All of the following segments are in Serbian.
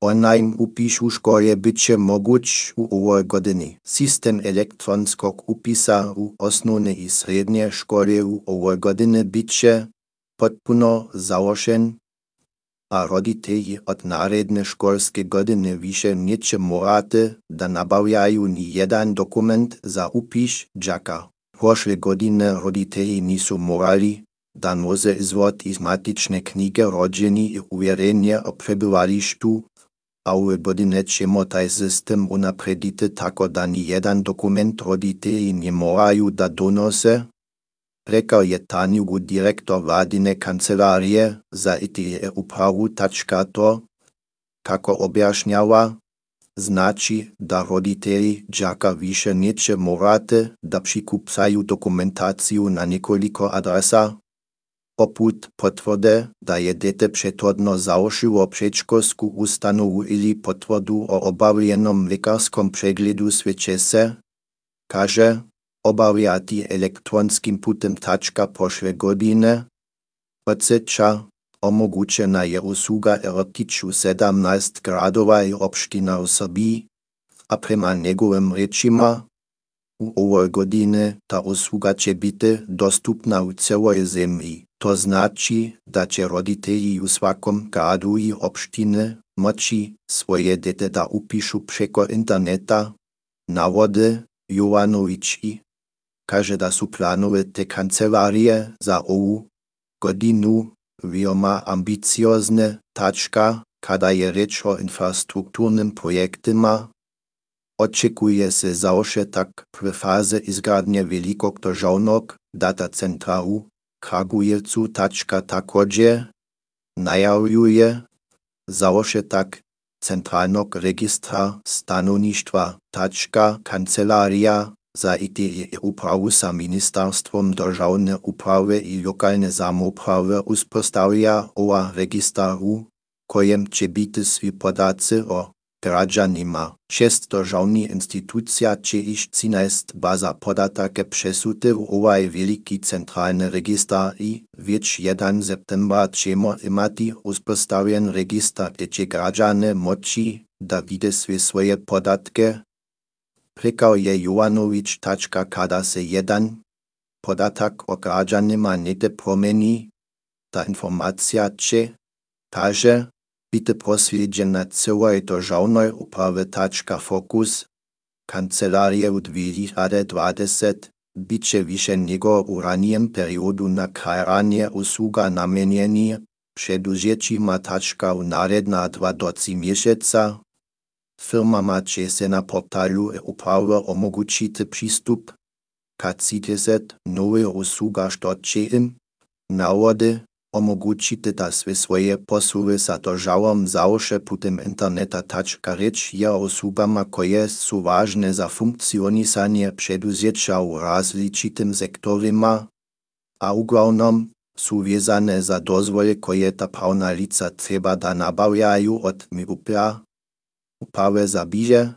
Online upis u škole byće moguć u ovoj godini. Sistem elektronskog upisa u osnovne i srednje škole u ovoj godini biće potpuno završen, a roditelji od naredne školske godine više neće morati da nabavljaju ni jedan dokument za upis đaka. Prošle godine roditelji nisu morali da nose izvod iz matične knjige rođeni i uvjerenje o prebivalištu, a ove godine ćemo taj sistem unaprediti tako da ni jedan dokument roditelji ne moraju da donose, rekao je Tanjugu direktor vladine kancelarije za IT-upravu. To, kako objašnjava, znači da roditelji đaka više neće morati da prikupljaju dokumentaciju na nekoliko adresa, poput potvrde da je dete prethodno završilo předškolsku ustanovu ili potvrdu o obavljenom lekarskom pregledu. Sve će se, kaže, obavljati elektronskim putem. Prošle godine podsjeća, omogućena je usluga vrtić u 17 gradova i opština u Srbiji, a prema njegovim rečima u ovoj godine ta usluga će biti dostupna u celoj zemlji. To znači da će roditelji u svakom gradu i opštine moći svoje dete da upišu preko interneta, navode Jovanović i kaže da su planove te kancelarije za ovu godinu veoma ambiciozne. Kada je reč o infrastrukturnim projektima, očekuje se završetak prve faze izgradnje velikog državnog datacentra u Kragujevcu. Također najavljuje završetak centralnog registra stanovništva. Kancelarija za IT-upravu sa Ministarstvom državne uprave i lokalne samouprave uspostavlja ovaj registar, u kojem će biti svi podaci o građanima. 6 državnih institucija će iš 13 baza podataka přesuti u ovaj veliki centralni registar i već 1. septembra ćemo imati uspostavljen registar, gdje će građane moći da vide sve svoje podatke, rekao je Jovanović. Kada se jedan podatak o građanima negdje promeni, ta informacija će, kaže, biti proslijeđena celoj državnoj upravi. Fokus kancelarije u 2020 biće više nego u ranijem periodu na krajanje usluga namijenjeni preduzećima. U naredna 2 do 3 mjeseca firmama će se na portalu uprave omogućiti pristup ka 30 novih usluga, što će im, navode, omogućiti da sve svoje poslove sa državom završe putem interneta. Reč je o uslugama koje su važne za funkcionisanje preduzeća u različitim sektorima, a uglavnom su vezane za dozvole koje ta pravna lica treba da nabavljaju od MIUP-a, uprave za biže.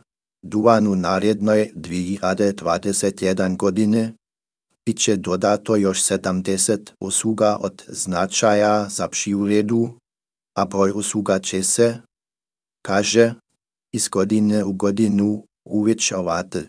U narednoj 2021 godine biće dodato još 70 usluga od značaja za privredu, a broj usluga će se, kaže, iz godine u godinu uvećavati.